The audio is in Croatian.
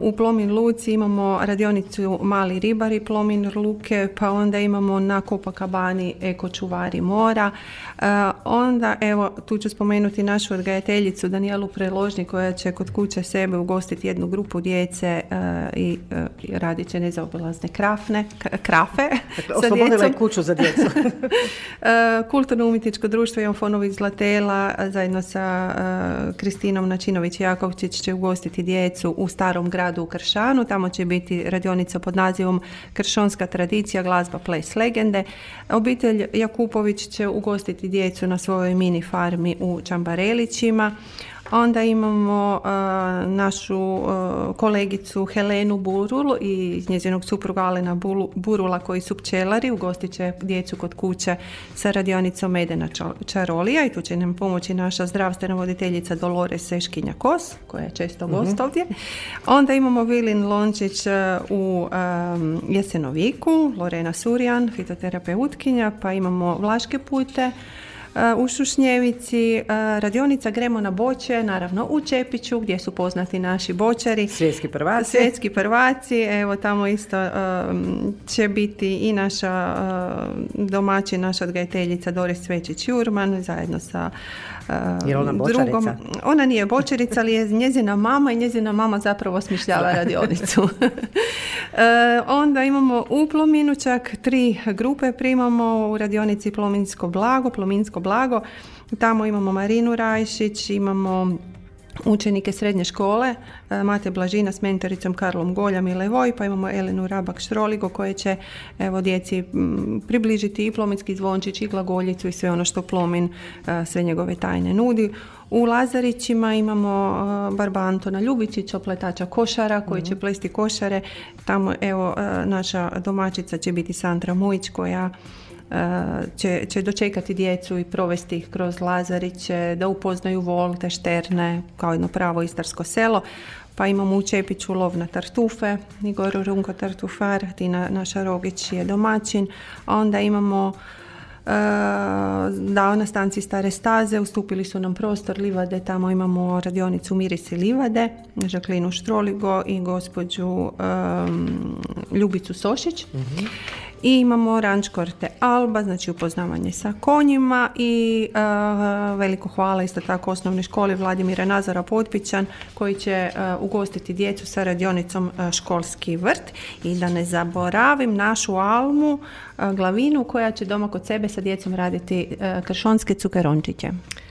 U Plomin Luci imamo radionicu Mali ribari Plomin Luke, pa onda imamo na Copacabani Eko čuvari mora. Onda, evo, tu ću spomenuti našu odgajateljicu Danijelu Preložnik koja će kod kuće sebe ugostiti jednu grupu djece i radit će nezaobilazne krafe Oslobodila je kuću za djecu. Kulturno-umjetničko društvo Ivan Fonović Zlatela zajedno sa Kristinom Načinović-Jakovčić će ugostiti djecu u Starom gradu u Kršanu. Tamo će biti radionica pod nazivom Kršonska tradicija, glazba, ples, legende. Obitelj Jakupović će ugostiti djecu na svojoj mini farmi u Čambarelićima. Onda imamo našu kolegicu Helenu Burul i njezinog supruga Alena Burula koji su pčelari. Ugostit će djecu kod kuće sa radionicom Medena čarolija i tu će nam pomoći naša zdravstvena voditeljica Dolores Seškinja-Kos koja je često gost ovdje. Onda imamo Vilin Lončić u Jesenoviku, Lorena Surjan, fitoterapeutkinja, pa imamo Vlaške pute u Šušnjevici, radionica Gremo na boče, naravno u Čepiću gdje su poznati naši bočari. Svjetski prvaci. Evo tamo isto će biti i naša domaćin, naša odgajateljica Doris Svečić-Jurman zajedno sa je ona drugom. Ona nije bočarica, ali je njezina mama i njezina mama zapravo smišljava radionicu. Onda imamo u Plominu čak 3 grupe primamo u radionici Plominsko blago. Tamo imamo Marinu Rajšić, imamo učenike srednje škole, Mate Blažina s mentoricom Karlom Goljam i Levoj, pa imamo Elenu Rabak-Štroligo koje će djeci približiti i plominski zvončić i glagoljicu i sve ono što Plomin, sve njegove tajne nudi. U Lazarićima imamo Barba Antona Ljubičića, pletača košara koji će plesti košare. Tamo naša domaćica će biti Sandra Mujić koja će dočekati djecu i provesti ih kroz Lazariće, da upoznaju volte, šterne, kao jedno pravo istarsko selo. Pa imamo u Čepiću lov na tartufe, Igor Runko Tartufar, Tina naša Rogić je domaćin. Onda imamo na stanci Stare staze ustupili su nam prostor livade, tamo imamo radionicu Mirisi livade, Žaklinu Štroligo i gospođu Ljubicu Sošić. I imamo Ranč Korte Alba, znači upoznavanje sa konjima i veliko hvala isto tako osnovnoj školi Vladimira Nazara Potpićan koji će ugostiti djecu sa radionicom Školski vrt. I da ne zaboravim našu Almu Glavinu koja će doma kod sebe sa djecom raditi kršonske cukerončiće.